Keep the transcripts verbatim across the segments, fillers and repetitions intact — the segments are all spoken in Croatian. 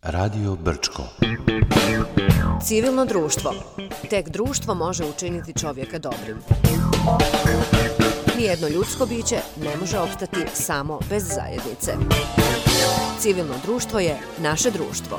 Radio Brčko. Civilno društvo. Tek društvo može učiniti čovjeka dobrim. Nijedno ljudsko biće ne može opstati samo bez zajednice. Civilno društvo je naše društvo.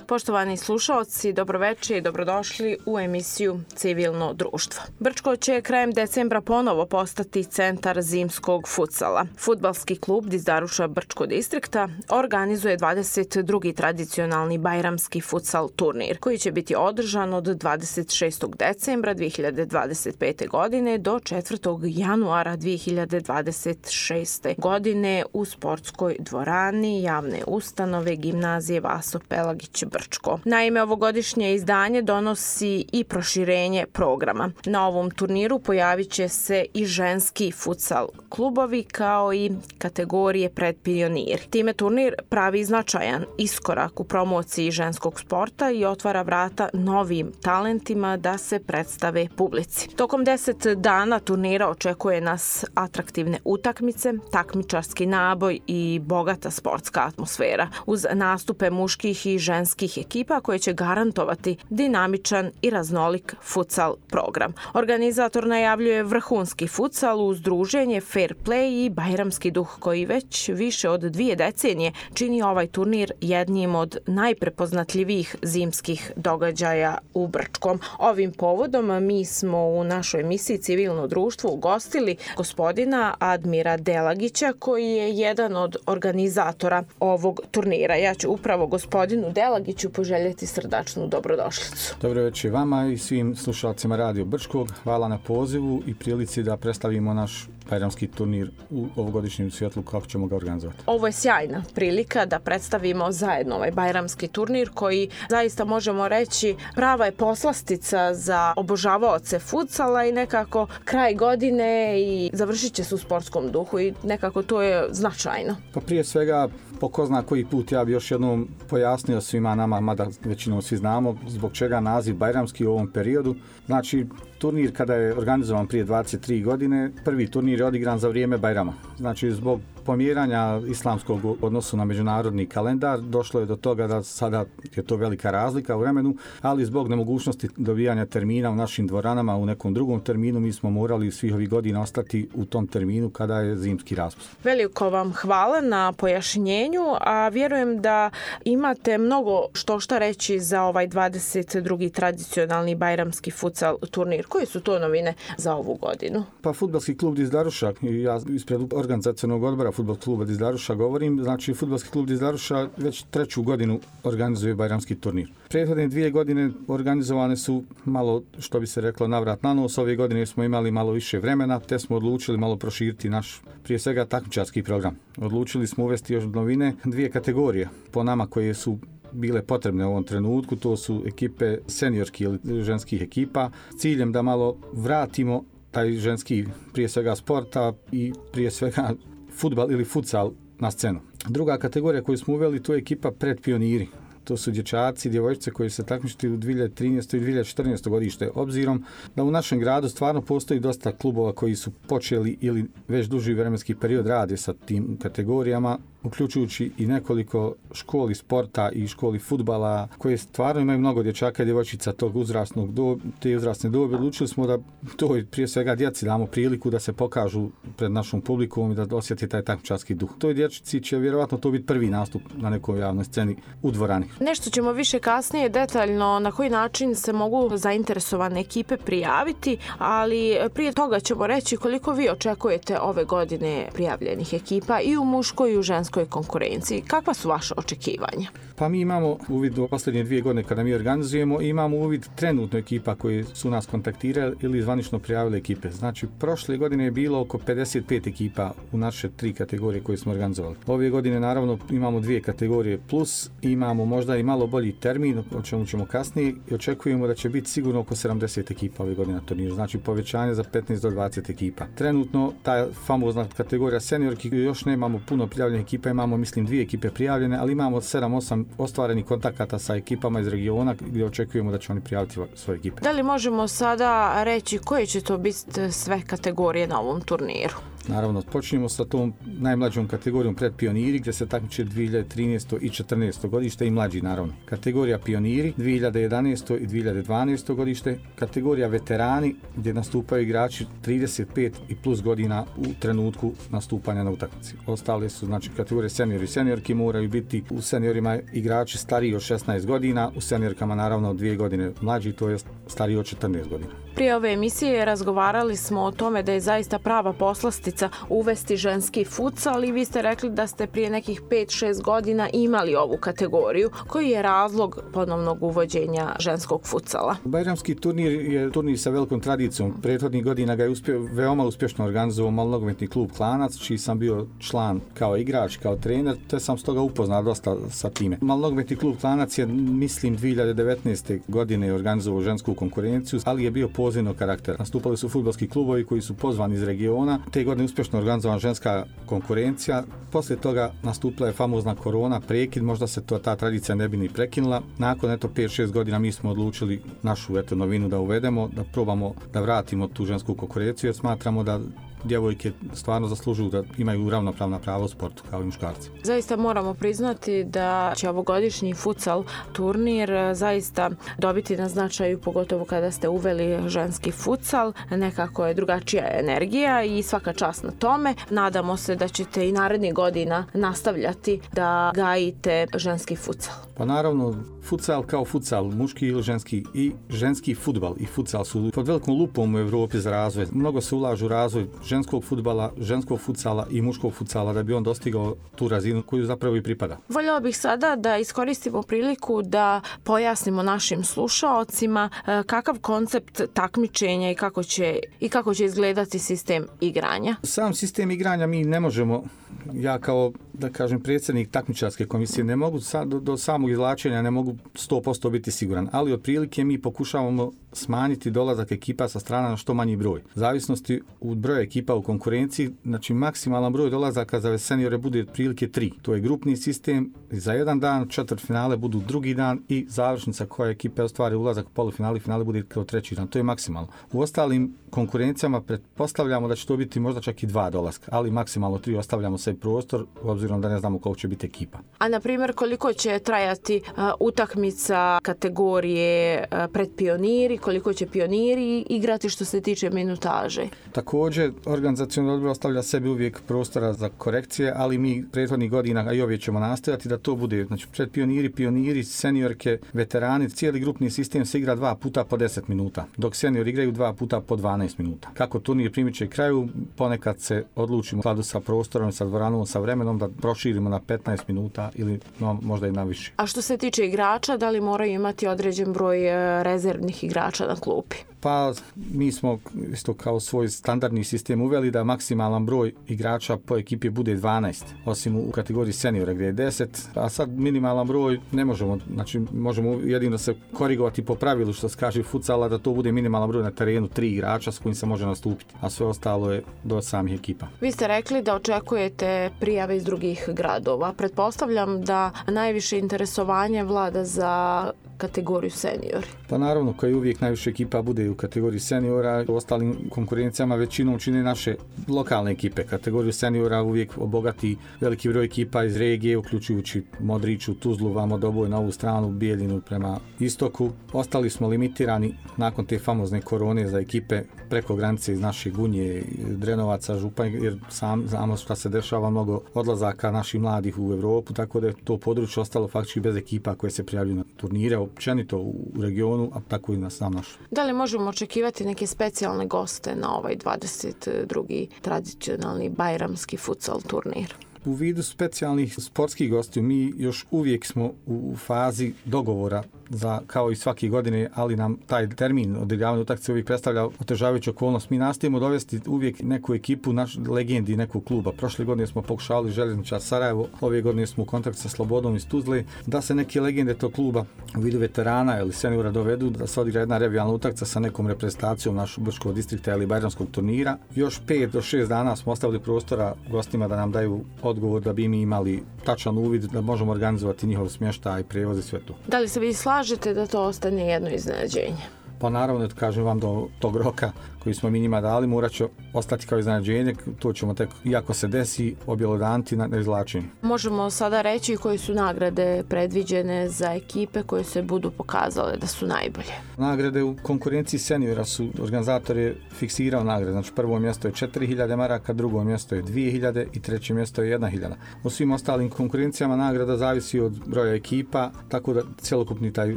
Poštovani slušaoci, dobroveče i dobrodošli u emisiju Civilno društvo. Brčko će krajem decembra ponovo postati centar zimskog futsala. Fudbalski klub Dizdaruša Brčko distrikta organizuje dvadeset drugi tradicionalni bajramski futsal turnir, koji će biti održan od dvadeset šestog decembra dvije hiljade dvadeset pete. godine do četvrtog januara dvije hiljade dvadeset šeste. godine u sportskoj dvorani javne ustanove Gimnazije Vaso Pelagić Brčko. Naime, ovogodišnje izdanje donosi i proširenje programa. Na ovom turniru pojavit će se i ženski futsal klubovi kao i kategorije predpioniri. Time turnir pravi značajan iskorak u promociji ženskog sporta i otvara vrata novim talentima da se predstave publici. Tokom deset dana turnira očekuje nas atraktivne utakmice, takmičarski naboj i bogata sportska atmosfera uz nastupe muških i ženskih ekipa koje će garantovati dinamičan i raznolik futsal program. Organizator najavljuje vrhunski futsal uz druženje, fair play i bajramski duh koji već više od dvije decenije čini ovaj turnir jednim od najprepoznatljivijih zimskih događaja u Brčkom. Ovim povodom mi smo u našoj emisiji Civilno društvo ugostili gospodina Admira Delagića koji je jedan od organizatora ovog turnira. Ja ću upravo gospodinu Delagiću poželjeti srdačnu dobrodošlicu. Dobro večer vama i svim slušalcima Radio Brčkog. Hvala na pozivu i prilici da predstavimo naš bajramski turnir u ovogodišnjem svjetlu kako ćemo ga organizovati. Ovo je sjajna prilika da predstavimo zajedno ovaj bajramski turnir koji zaista možemo reći prava je poslastica za obožavaoce futsala i nekako kraj godine i završit će se u sportskom duhu i nekako to je značajno. Pa prije svega po ko zna koji put ja bi još jednom pojasnio svima nama, mada većinom svi znamo zbog čega naziv bajramski u ovom periodu. Znači, turnir kada je organizovan prije dvadeset tri godine, prvi turnir je odigran za vrijeme Bajrama. Znači, zbog pomjeranja islamskog odnosu na međunarodni kalendar došlo je do toga da sada je to velika razlika u vremenu, ali zbog nemogućnosti dobijanja termina u našim dvoranama u nekom drugom terminu mi smo morali svih ovih godina ostati u tom terminu kada je zimski raspust. Veliko vam hvala na pojašnjenju, a vjerujem da imate mnogo što šta reći za ovaj dvadeset drugi tradicionalni bajramski futsal turnir. Koje su to novine za ovu godinu? Pa fudbalski klub Dizdaruša, ja ispred organizacionog odbora fudbalskog kluba Dizdaruša govorim, znači fudbalski klub Dizdaruša već treću godinu organizuje bajramski turnir. Prethodne dvije godine organizovane su malo, što bi se reklo, navrat na nos. Ove godine smo imali malo više vremena, te smo odlučili malo proširiti naš, prije svega, takmičarski program. Odlučili smo uvesti još novine, dvije kategorije po nama koje su bile potrebne u ovom trenutku, to su ekipe seniorskih ili ženskih ekipa, s ciljem da malo vratimo taj ženski prije svega sporta i prije svega fudbal ili futsal na scenu. Druga kategorija koju smo uveli, to je ekipa predpioniri. To su dječaci, djevojčice koji se takmičiti u dvije hiljade trinaeste i dvije hiljade četrnaeste. godište, obzirom da u našem gradu stvarno postoji dosta klubova koji su počeli ili već duži vremenski period rade sa tim kategorijama, uključujući i nekoliko školi sporta i školi fudbala koje stvarno imaju mnogo dječaka i djevojčica tog uzrasnog do, te uzrasne dobi. Odlučili smo da to prije svega djeci damo priliku da se pokažu pred našom publikom i da osjeti taj takmičarski duh. Toj dječci će vjerovatno to biti prvi nastup na nekoj javnoj sceni u dvorani. Nešto ćemo više kasnije detaljno na koji način se mogu zainteresovane ekipe prijaviti, ali prije toga ćemo reći koliko vi očekujete ove godine prijavljenih ekipa i u muškoj i u ženskoj konkurenciji. Kakva su vaše očekivanja? Pa mi imamo uvid u posljednje dvije godine kada mi organizujemo, imamo uvid trenutno ekipa koji su nas kontaktirali ili zvanično prijavili ekipe. Znači, prošle godine je bilo oko pedeset pet ekipa u naše tri kategorije koje smo organizovali. Ove godine naravno imamo dvije kategorije plus, imamo možda i malo bolji termin, o čemu ćemo kasnije, i očekujemo da će biti sigurno oko sedamdeset ekipa ove godine na turniru. Znači, povećanje za petnaest do dvadeset ekipa. Trenutno ta famozna kategorija seniorki još nemamo puno prijavljenih ekipa, imamo mislim dvije ekipe prijavljene, ali imamo sedam osam ostvarenih kontakata sa ekipama iz regiona gdje očekujemo da će oni prijaviti svoje ekipe. Da li možemo sada reći koje će to biti sve kategorije na ovom turniru? Naravno, počinjemo sa tom najmlađom kategorijom pred pioniri, gdje se takmiče dvije hiljade trinaesto. i četrnaesto. godište i mlađi, naravno. Kategorija pioniri dvije hiljade jedanaesto. i dvije hiljade dvanaesto. godište. Kategorija veterani, gdje nastupaju igrači trideset pet i plus godina u trenutku nastupanja na utakmici. Ostale su, znači, kategorije seniori i seniorki, moraju biti u seniorima igrači stariji od šesnaest godina, u seniorkama naravno dvije godine mlađi, to je stariji od četrnaest godina. Prije ove emisije razgovarali smo o tome da je zaista prava poslastica uvesti ženski futsal i vi ste rekli da ste prije nekih pet šest godina imali ovu kategoriju. Koji je razlog ponovnog uvođenja ženskog futsala? Bajramski turnir je turnir sa velikom tradicijom. Prethodnih godina ga je uspio, veoma uspješno organizovao malnogometni klub Klanac, čiji sam bio član kao igrač, kao trener, te sam stoga upoznao dosta sa time. Malnogometni klub Klanac je, mislim, dvije hiljade devetnaeste. godine organizovao žensku konkurenciju, ali je bio pozivnog karaktera. Nastupali su fudbalski klubovi koji su pozvani iz regiona. Te godine uspješno organizovana ženska konkurencija. Poslije toga nastupila je famozna korona, prekid, možda se to, ta tradicija ne bi ni prekinula. Nakon eto pet šest godina mi smo odlučili našu eto novinu da uvedemo, da probamo da vratimo tu žensku konkurenciju, jer smatramo da djevojke stvarno zaslužuju da imaju ravnopravna prava u sportu kao i muškarci. Zaista moramo priznati da će ovogodišnji futsal turnir zaista dobiti na značaju, pogotovo kada ste uveli ženski futsal. Nekako je drugačija energija i svaka čast na tome. Nadamo se da ćete i narednih godina nastavljati da gajite ženski futsal. Pa naravno, futsal kao futsal, muški ili ženski, i ženski fudbal i futsal su pod velikom lupom u Evropi za razvoj. Mnogo se ulažu u razvoj ženskog fudbala, ženskog futsala i muškog futsala da bi on dostigao tu razinu koju zapravo i pripada. Voljela bih sada da iskoristimo priliku da pojasnimo našim slušaocima kakav koncept takmičenja i kako će, i kako će izgledati sistem igranja. Sam sistem igranja mi ne možemo, ja kao, da kažem, predsjednik takmičarske komisije, ne mogu sa, do, do samog izvlačenja ne mogu sto posto biti siguran, ali otprilike mi pokušavamo smanjiti dolazak ekipa sa strana na što manji broj. Zavisnosti od broja ekipa u konkurenciji, znači maksimalan broj dolazaka za seniore bude otprilike tri. To je grupni sistem, za jedan dan, četvrtfinale budu drugi dan i završnica koja ekipe ostvari ulazak u polufinale i finale bude kao treći dan. To je maksimalno. U ostalim konkurencijama pretpostavljamo da će to biti možda čak i dva dolaska, ali maksimalno tri, ostavljamo se prostor obzirom da ne znamo koliko će biti ekipa. A na primjer koliko će trajati uh, utakmica kategorije uh, pred pioniri, koliko će pioniri igrati što se tiče minutaže? Također, organizacioni odbor ostavlja sebi uvijek prostora za korekcije, ali mi prethodnih godina, a i ovdje ćemo nastaviti da to bude, znači pred pioniri, pioniri, seniorke, veterani, cijeli grupni sistem se igra dva puta po deset minuta, dok seniori igraju dva puta po dvanaest minuta. Kako turnir primiče kraju, ponekad se odlučimo u skladu sa prostorom, sa dvoranom, sa vremenom da proširimo na petnaest minuta ili no, možda i na više. A što se tiče igrača, da li moraju imati određen broj rezervnih igrača na klupi? Pa mi smo isto kao svoj standardni sistem uveli da maksimalan broj igrača po ekipi bude dvanaest, osim u kategoriji seniora gdje je deset, a sad minimalan broj ne možemo, znači možemo jedino se korigovati po pravilu što se kaže futsala da to bude minimalan broj na terenu tri igrača s kojim se može nastupiti, a sve ostalo je do samih ekipa. Vi ste rekli da očekujete prijave iz drugih gradova. Pretpostavljam da najviše interesovanje vlada za kategoriju seniori. Pa naravno, kao i uvijek najviše ekipa bude u kategoriji seniora, u ostalim konkurencijama većinom čine naše lokalne ekipe. Kategoriju seniora uvijek obogati veliki broj ekipa iz regije, uključujući Modriću, Tuzlu, vamo Doboj na ovu stranu, Bijeljinu prema istoku. Ostali smo limitirani nakon te famozne korone za ekipe preko granice iz naše Gunje, Drenovaca, Županja, jer sam znamo šta se dešava, mnogo odlazaka naših mladih u Evropu, tako da je to područje ostalo faktički bez ekipa koje se prijavljuju na turnire, općenito u regionu, a tako i na sam naš. Da li možemo očekivati neke specijalne goste na ovaj dvadeset drugi tradicionalni bajramski futsal turnir? U vidu specijalnih sportskih gostiju mi još uvijek smo u fazi dogovora za, kao i svake godine, ali nam taj termin odigrivanja utakmice uvijek predstavlja otežavajuću okolnost. Mi nastojimo dovesti uvijek neku ekipu, naš legendi nekog kluba. Prošle godine smo pokušali Željezničar Sarajevo, ove godine smo u kontaktu sa Slobodom iz Tuzle, da se neke legende tog kluba u vidu veterana ili seniora dovedu, da se odigra jedna revijalna utakmica sa nekom reprezentacijom našeg Brčkog distrikta ili bajramskog turnira. Još pet do šest dana smo ostavili prostora gostima da nam daju odgovor da bi mi imali tačan uvid, da možemo organizovati njihov smještaj, prevoz i sve to. Da li se vi slažete da to ostane jedno iznenađenje? Pa naravno, da kažem vam, do tog roka koji smo mi njima dali morat će ostati kao iznenađenje, to ćemo tek, iako se desi, objelodaniti na izvlačenju. Možemo sada reći koji su nagrade predviđene za ekipe koje se budu pokazale da su najbolje. Nagrade u konkurenciji seniora su organizatori fiksirao nagrade, znači prvo mjesto je četiri hiljade maraka, drugo mjesto je dvije hiljade i treće mjesto je jedna hiljada. U svim ostalim konkurencijama nagrada zavisi od broja ekipa, tako da cjelokupni taj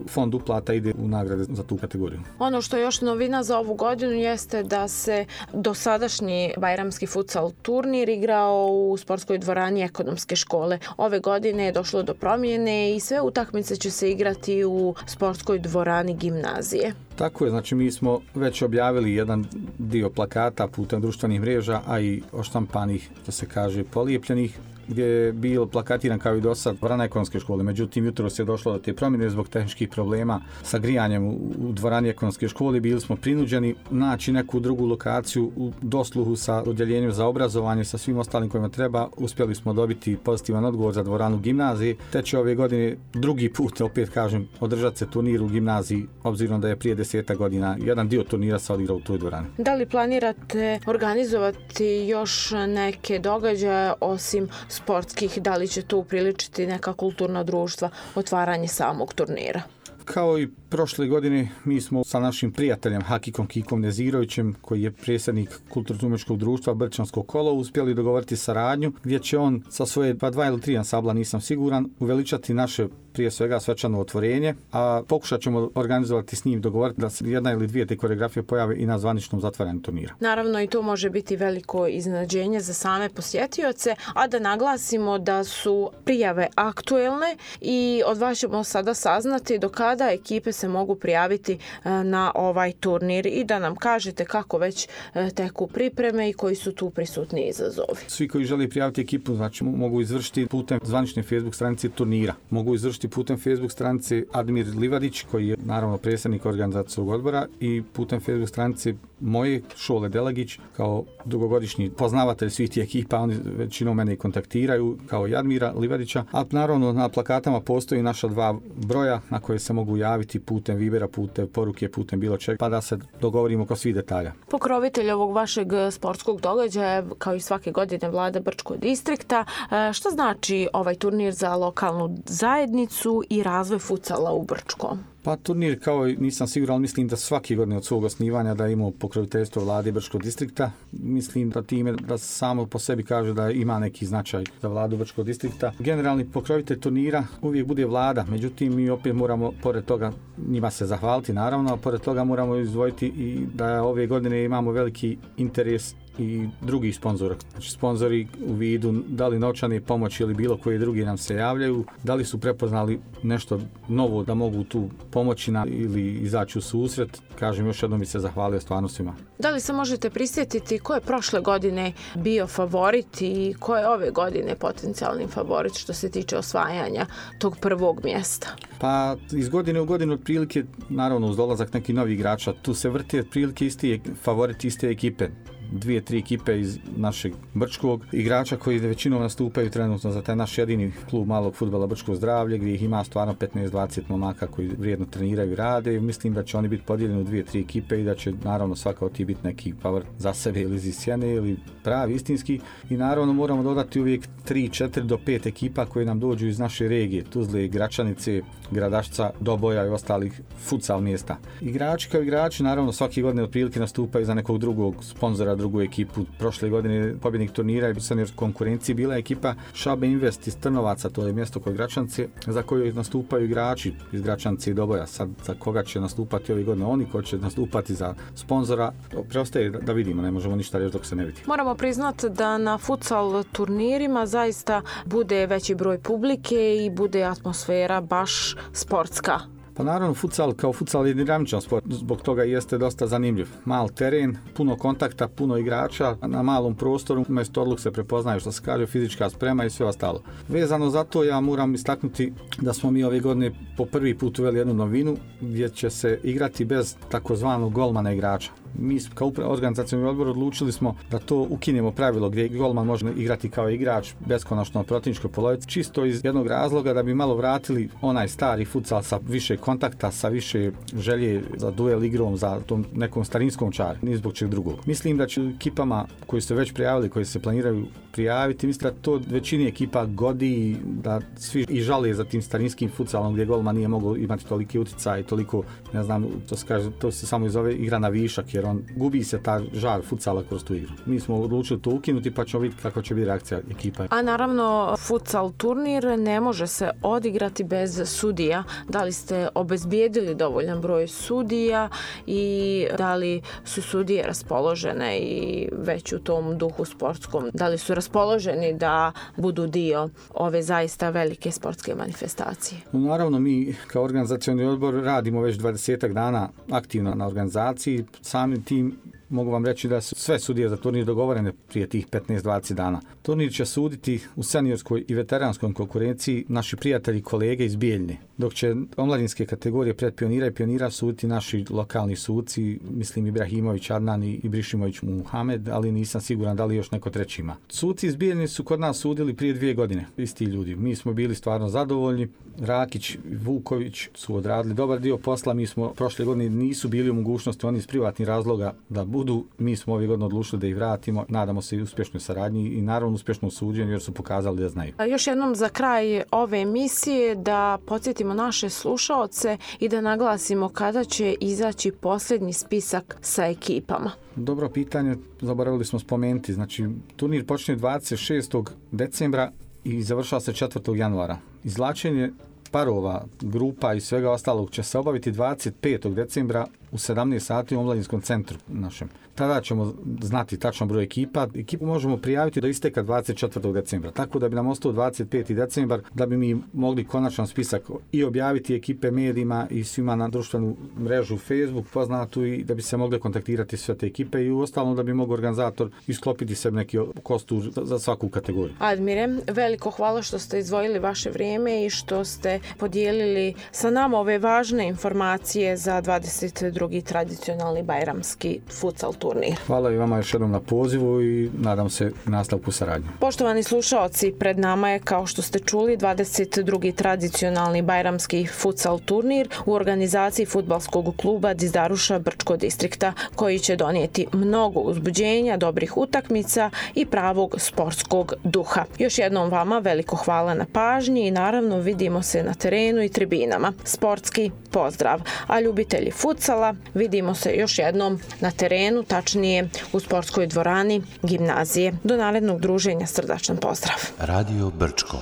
fond uplata ide u nagrade za tu kategoriju. Ono što je još novina za ovu godinu jeste da se dosadašnji bajramski futsal turnir igrao u sportskoj dvorani ekonomske škole. Ove godine je došlo do promjene i sve utakmice će se igrati u sportskoj dvorani gimnazije. Tako je, znači mi smo već objavili jedan dio plakata putem društvenih mreža, a i oštampanih, što se kaže, polijepljenih, gdje je bilo plakatiran kao i do sad dvorana ekonomske škole. Međutim, jutro se je došlo do te promjene zbog tehničkih problema sa grijanjem u dvorani ekonomske škole. Bili smo prinuđeni naći neku drugu lokaciju u dosluhu sa odjeljenjem za obrazovanje, sa svim ostalim kojima treba. Uspjeli smo dobiti pozitivan odgovor za dvoranu gimnazije. Te će ove godine drugi put, opet kažem, održati se turnir u gimnaziji, obzirom da je prije deseta godina jedan dio turnira se odigrao u toj dvorani. Da li planirate organizovati još neke događaje osim sportskih, da li će tu upriličiti neka kulturna društva, otvaranje samog turnira? Kao i prošle godine, mi smo sa našim prijateljem Hakikom Kikom Nezirovićem, koji je predsjednik kulturno-umjetničkog društva Brčansko kolo, uspjeli dogovoriti saradnju gdje će on sa svoje pa dva ili tri ansambla, nisam siguran, uveličati naše prije svega svečano otvorenje, a pokušat ćemo organizovati s njim, dogovoriti da se jedna ili dvije te koreografije pojave i na zvaničnom zatvaranju turnira. Naravno i to može biti veliko iznenađenje za same posjetioce, a da naglasimo da su prijave aktuelne i od vas ćemo sada saznati do kada ekipe se mogu prijaviti na ovaj turnir i da nam kažete kako već teku pripreme i koji su tu prisutni izazovi. Svi koji žele prijaviti ekipu, znači mogu izvršiti putem zvanične Facebook stranice turnira. Mogu izvršiti putem Facebook stranice Admir Livadić, koji je naravno predsjednik organizacijskog odbora, i putem Facebook stranice moje Šole Delagić, kao dugogodišnji poznavatelj svih tih ekipa. Oni većinom mene kontaktiraju kao Admira Livadića, a naravno na plakatama postoji naša dva broja na koje se mogu javiti putem Vibera, putem poruke, putem bilo čega, pa da se dogovorimo oko svih detalja. Pokrovitelj ovog vašeg sportskog događaja, kao i svake godine, vlada Brčkog distrikta. Šta znači ovaj turnir za lokalnu zajednicu i razvoj futsala u Brčkom? Pa turnir, kao nisam siguran, ali mislim da svake godine od svog osnivanja da imamo pokroviteljstvo vlade Brčkog distrikta. Mislim da time da samo po sebi kaže da ima neki značaj za vladu Brčkog distrikta. Generalni pokrovitelj turnira uvijek bude vlada, međutim mi opet moramo pored toga njima se zahvaliti naravno, a pored toga moramo izdvojiti i da ove godine imamo veliki interes i drugih sponzora. Znači sponzori u vidu da li novčane pomoći ili bilo koji drugi nam se javljaju, da li su prepoznali nešto novo da mogu tu pomoći na, ili izaći u susret. Kažem, još jednom bi se zahvalio stvarno svima. Da li se možete prisjetiti ko je prošle godine bio favorit i ko je ove godine potencijalni favorit što se tiče osvajanja tog prvog mjesta? Pa iz godine u godinu otprilike, naravno uz dolazak nekih novih igrača, tu se vrti otprilike isti favorit iste ekipe. Dvije, tri ekipe iz našeg Brčkog igrača koji većinom nastupaju trenutno za taj naš jedini klub malog fudbala Brčko zdravlje, gdje ih ima stvarno petnaest dvadeset momaka koji vrijedno treniraju i rade. Mislim da će oni biti podijeljeni u dvije, tri ekipe i da će naravno svaka od tih biti neki favorit za sebe ili iz sjene ili pravi istinski. I naravno moramo dodati uvijek tri, četiri do pet ekipa koje nam dođu iz naše regije, Tuzle, Gračanice, Gradašca, Doboja i ostalih futsal mjesta. Igrači kao igrači naravno svake godine otprilike nastupaju za nekog drugog sponzora, drugu ekipu. Prošle godine pobjednik turnira i senior konkurenciji bila ekipa Šabe Invest iz Trnovaca, to je mjesto kod Gračance, za koju nastupaju igrači iz Gračance i Doboja. Sad za koga će nastupati ove godine oni, ko će nastupati za sponzora, preostaje da vidimo, ne možemo ništa reći dok se ne vidi. Moramo priznati da na futsal turnirima zaista bude veći broj publike i bude atmosfera baš sportska. Pa naravno, futsal kao futsal je dinamičan sport, zbog toga jeste dosta zanimljiv. Mal teren, puno kontakta, puno igrača, na malom prostoru, umjesto odluk se prepoznaju što se kaže fizička sprema i sve ostalo. Vezano za to ja moram istaknuti da smo mi ove godine po prvi put uveli jednu novinu gdje će se igrati bez takozvanog golmana igrača. Mi kao organizacioni odbor odlučili smo da to ukinemo pravilo gdje golman može igrati kao igrač beskonačno na protivničkoj polovici, čisto iz jednog razloga da bi malo vratili onaj stari futsal sa više kontakta, sa više želje za duel igrom, za tom nekom starinskom čaru, ni zbog čeg drugog. Mislim da će ekipama koji su već prijavili, koji se planiraju prijaviti, mislim da to većini ekipa godi, da svi i žale za tim starinskim futsalom gdje golman nije mogao imati toliki utjecaj i toliko, ne znam, to se kaže, to se samo zove igra na višak, jer on gubi se ta žar futsala kroz tu igru. Mi smo odlučili to ukinuti, pa ćemo vidjeti kako će biti reakcija ekipa. A naravno, futsal turnir ne može se odigrati bez sudija. Da li ste obezbijedili dovoljan broj sudija i da li su sudije raspoložene i već u tom duhu sportskom? Da li su raspoloženi da budu dio ove zaista velike sportske manifestacije? Naravno, mi kao organizacioni odbor radimo već dvadesetak dana aktivno na organizaciji. Samim tim mogu vam reći da su sve sudije za turnir dogovorene prije tih petnaest do dvadeset dana. Turnir će suditi u seniorskoj i veteranskoj konkurenciji naši prijatelji i kolege iz Bijeljne, dok će omladinske kategorije pred pionira i pionira suditi naši lokalni suci, mislim Ibrahimović Adnan i Brišimović Muhamed, ali nisam siguran da li još neko treći ima. Suci iz Bijeljne su kod nas sudili prije dvije godine, isti ljudi. Mi smo bili stvarno zadovoljni. Rakić i Vuković su odradili dobar dio posla. Mi smo prošle godine nisu bili u mogućnosti, oni iz privatnih razloga da budu. Mi smo ove godine odlučili da ih vratimo. Nadamo se i uspješnoj saradnji i naravno uspješnom suđenju jer su pokazali da znaju. A još jednom za kraj ove emisije da podsjetimo naše slušaoce i da naglasimo kada će izaći posljednji spisak sa ekipama. Dobro pitanje, zaboravili smo spomenuti. Znači, turnir počinje dvadeset šestog decembra i završava se četvrtog januara. Izvlačenje parova, grupa i svega ostalog će se obaviti dvadeset petog decembra u sedamnaest sati u omladinskom centru našem. Tada ćemo znati tačan broj ekipa. Ekipu možemo prijaviti do isteka dvadeset četvrtog decembra, tako da bi nam ostao dvadeset peti decembar, da bi mi mogli konačan spisak i objaviti ekipe medijima i svima na društvenu mrežu Facebook poznatu i da bi se mogli kontaktirati sve te ekipe i u ostalom da bi mogao organizator isklopiti sebi neki kostur za svaku kategoriju. Admire, veliko hvala što ste izdvojili vaše vrijeme i što ste podijelili sa nama ove važne informacije za dvadeset drugi tradicionalni bajramski futsal turnir. Hvala i vama još jednom na pozivu i nadam se nastavku saradnje. Poštovani slušaoci, pred nama je, kao što ste čuli, dvadeset drugi tradicionalni bajramski futsal turnir u organizaciji fudbalskog kluba Dizdaruša Brčko distrikta, koji će donijeti mnogo uzbuđenja, dobrih utakmica i pravog sportskog duha. Još jednom vama veliko hvala na pažnji i naravno vidimo se na terenu i tribinama. Sportski pozdrav, a ljubitelji futsala vidimo se još jednom na terenu, tačnije u sportskoj dvorani gimnazije. Do narednog druženja srdačan pozdrav. Radio Brčko.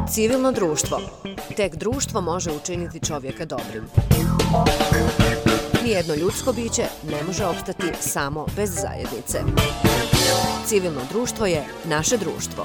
Civilno društvo. Tek društvo može učiniti čovjeka dobrim. Nijedno ljudsko biće ne može opstati samo bez zajednice. Civilno društvo je naše društvo.